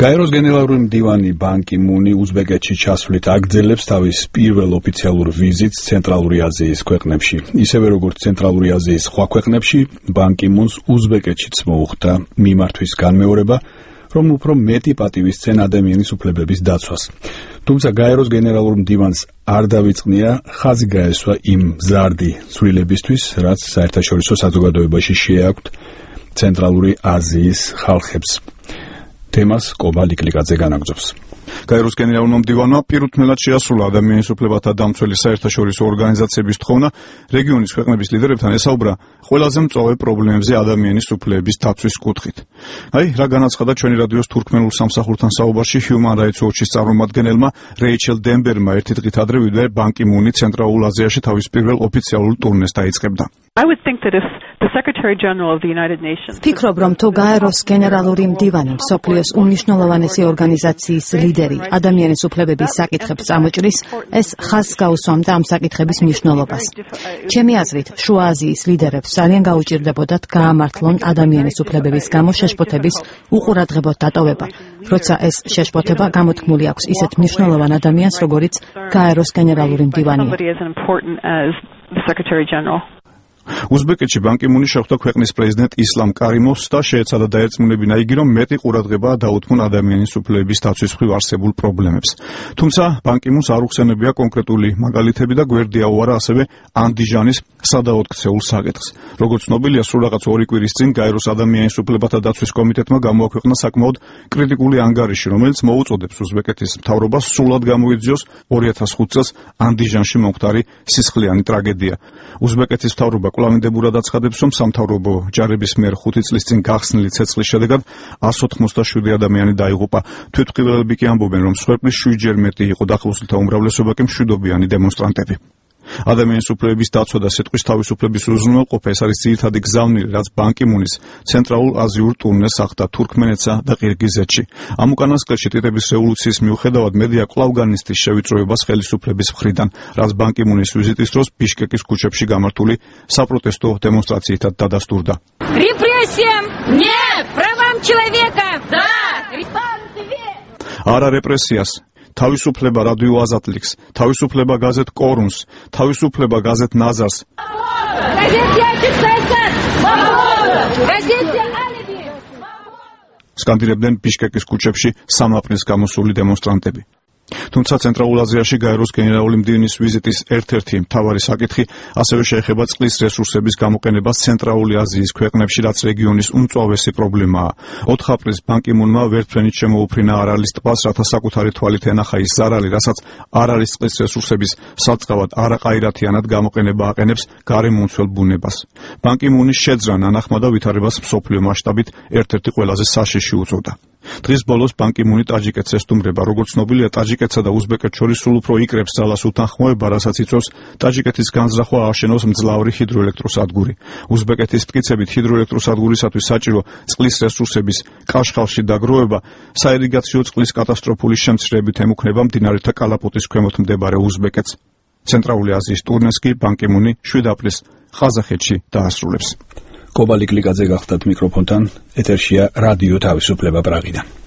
გაეროს გენერალური მდივანი ბან კი მუნი უზბეკეთში ჩასვლით აგრძელებს თავის პირველ ოფიციალურ ვიზიტს ცენტრალური აზიის ქვეყნებში. ისევე როგორც ცენტრალური აზიის სხვა ქვეყნებში, ბან კი მუნს უზბეკეთშიც მოუხდა მიმართვის განმეორება, რომ უფრო მეტი პატივისცენ ადამიანის უფლებების დაცვას. თუმცა გაეროს გენერალურ მდივანს არ დავიწყნია ხაზი გაესვა იმ მზარდი ცვლილებისთვის, რაც საერთაშორისო საზოგადოებაში შეაქვთ ცენტრალური აზიის ხალხებს. თემას კობა ლიკლიკაძე განაგრძობს. გაეროს გენერალურმა მდივანმა პირუთმელად შეასრულა ადამიანის უფლებათა დამცველი საერთაშორისო ორგანიზაციების თხოვნა რეგიონის ქვეყნების ლიდერებთან ესაუბრა ყველაზე მწვავე პრობლემებზე ადამიანის უფლებების დაცვის კუთხით. რა განაცხადა ჩვენი რადიოს თურქმენულ სამსახურთან საუბარში Human Rights Watch-ის წარმომადგენელმა რეიჩელ დენბერმა ერთი დღით ადრე ბან კი მუნი ცენტრალურ აზიაში თავის პირველ ოფიციალურ ტურნეს დაიწყებდა. ვფიქრობ, რომ თუ გაეროს გენერალური მდივანი მსოფლიოს უმნიშვნელოვანესი ორგანიზაციის ლიდერი ადამიანის უფლებების საკითხებს წამოჭრის, ეს ხაზს გაუსვამდა ამ საკითხების მნიშვნელობას. ჩემი აზრით, შუა აზიის ლიდერებს ძალიან გაუჭირდებოდათ გაამართლონ ადამიანის უფლებების გამო შეშფოთების უყურადღებოდ დატოვება, როცა ეს შეშფოთება გამოთქმული აქვს ისეთ მნიშვნელოვან ადამიანს, როგორიც გაეროს გენერალური მდივანია. უზბეკეთში ბან კი მუნი შეხვდა ქვეყნის პრეზიდენტ ისლამ კარიმოვს და შეეცადა დაერწმუნებინა იგი, რომ მეტი ყურადღება დაუთმონ ადამიანის უფლებების დაცვის მხრივ არსებულ პრობლემებს. თუმცა ბან კი მუნს არ უხსენებია კონკრეტული მაგალითები და გვერდი აუარა ასევე ანდიჟანის სადაოთხცეულ საკითხს. როგორც ცნობილია, სულ რაღაც 2 კვირის წინ გაეროს ადამიანის უფლებათა დაცვის კომიტეტმა გამოაქვეყნა საკმაოდ კრიტიკული ანგარიში, რომელიც მოუწოდებს უზბეკეთის მთავრობას სრულად გამოიძიოს 2005 წელს ანდიჟანში მომხდარი სისხლიანი ტრაგედია. უზბეკეთის მთავრობა კვლავინდებურად აცხადებს, რომ სამთავრობო ჯარების მიერ 5 წლის წინ გახსნილი ცეცხლის შედეგად 187 ადამიანი დაიღუპა. თვითმხილველები კი ამბობენ, რომ მსხვერპლის 7-ჯერ მეტი იყო დახმარებულთა უმრავლესობა კი მშვიდობიანი დემონსტრანტები. ადამიანის უფლებების დაცვა და სიტყვის თავისუფლების უზრუნველყოფა ეს არის ძირითადი გზავნილი, რაც ბან კი მუნის ცენტრალურ აზიურ ტურნეს ახდა თურქმენეთსა და ყირგიზეთში. ამ უკანასკნელში ტიტების რევოლუციის მიუხედავად მედია კვლავ განიცდის შევიწროებას ხელისუფლების მხრიდან, რაც ბან კი მუნის ვიზიტის დროს ბიშკეკის ქუჩებში გამართული საპროტესტო დემონსტრაციითაც დადასტურდა. არა რეპრესიას, თავისუფლება რადიო აზატლიქს, თავისუფლება გაზეთ კორუნს, თავისუფლება გაზეთ ნაზარს. სკანდირებდნენ ბიშკეკის ქუჩებში სამაფრის გამოსული დემონსტრანტები. თუმცა ცენტრალურ აზიაში გაეროს გენერალური მდივნის ვიზიტის ერთ-ერთი მთავარი საკითხი ასევე შეეხება წყლის რესურსების გამოყენებას ცენტრალური აზიის ქვეყნებში, რაც რეგიონის უმწვავესი პრობლემაა. 4 აპრილს ბან კი მუნმა ვერტმფრენით შემოუფრინა არალის ტბას, რათა საკუთარი თვალით ენახა ის ზარალი, რასაც არალის წყლის რესურსების საწყავად არაყაირათიანად გამოყენება აყენებს გარემომცველ ბუნებას. ბან კი მუნის შეძრა ნანახმა და ვითარებას მსოფლიო მასშტაბით ერთ-ერთი ყველაზე საშიში უწოდა. დღის ბოლოს ბან კი მუნი ტაჯიკეთს ესტუმრება. როგორც ცნობილია, ტაჯიკეთსა და უზბეკეთს შორის სულ უფრო იკრებს ძალას უთანხმოება, რასაც იწვევს ტაჯიკეთის განზრახვა ააშენოს მძლავრი ჰიდროელექტროსადგური. უზბეკეთის მტკიცებით ჰიდროელექტროსადგურისათვის საჭირო წყლის რესურსების კაშხალში დაგროვება საირიგაციო წყლის კატასტროფული შემცირებით ემუქნება მდინარეთა კალაპოტის ქვემოთ მდებარე უზბეკეთს. ცენტრალური აზიის ტურნეს კი ბან კი მუნი 7 აპრილს ყაზახეთში დაასრულებს. კობა ლიკლიკაძე გახდათ მიკროფონთან, ეთერშია რადიო თავისუფლება პრაღიდან.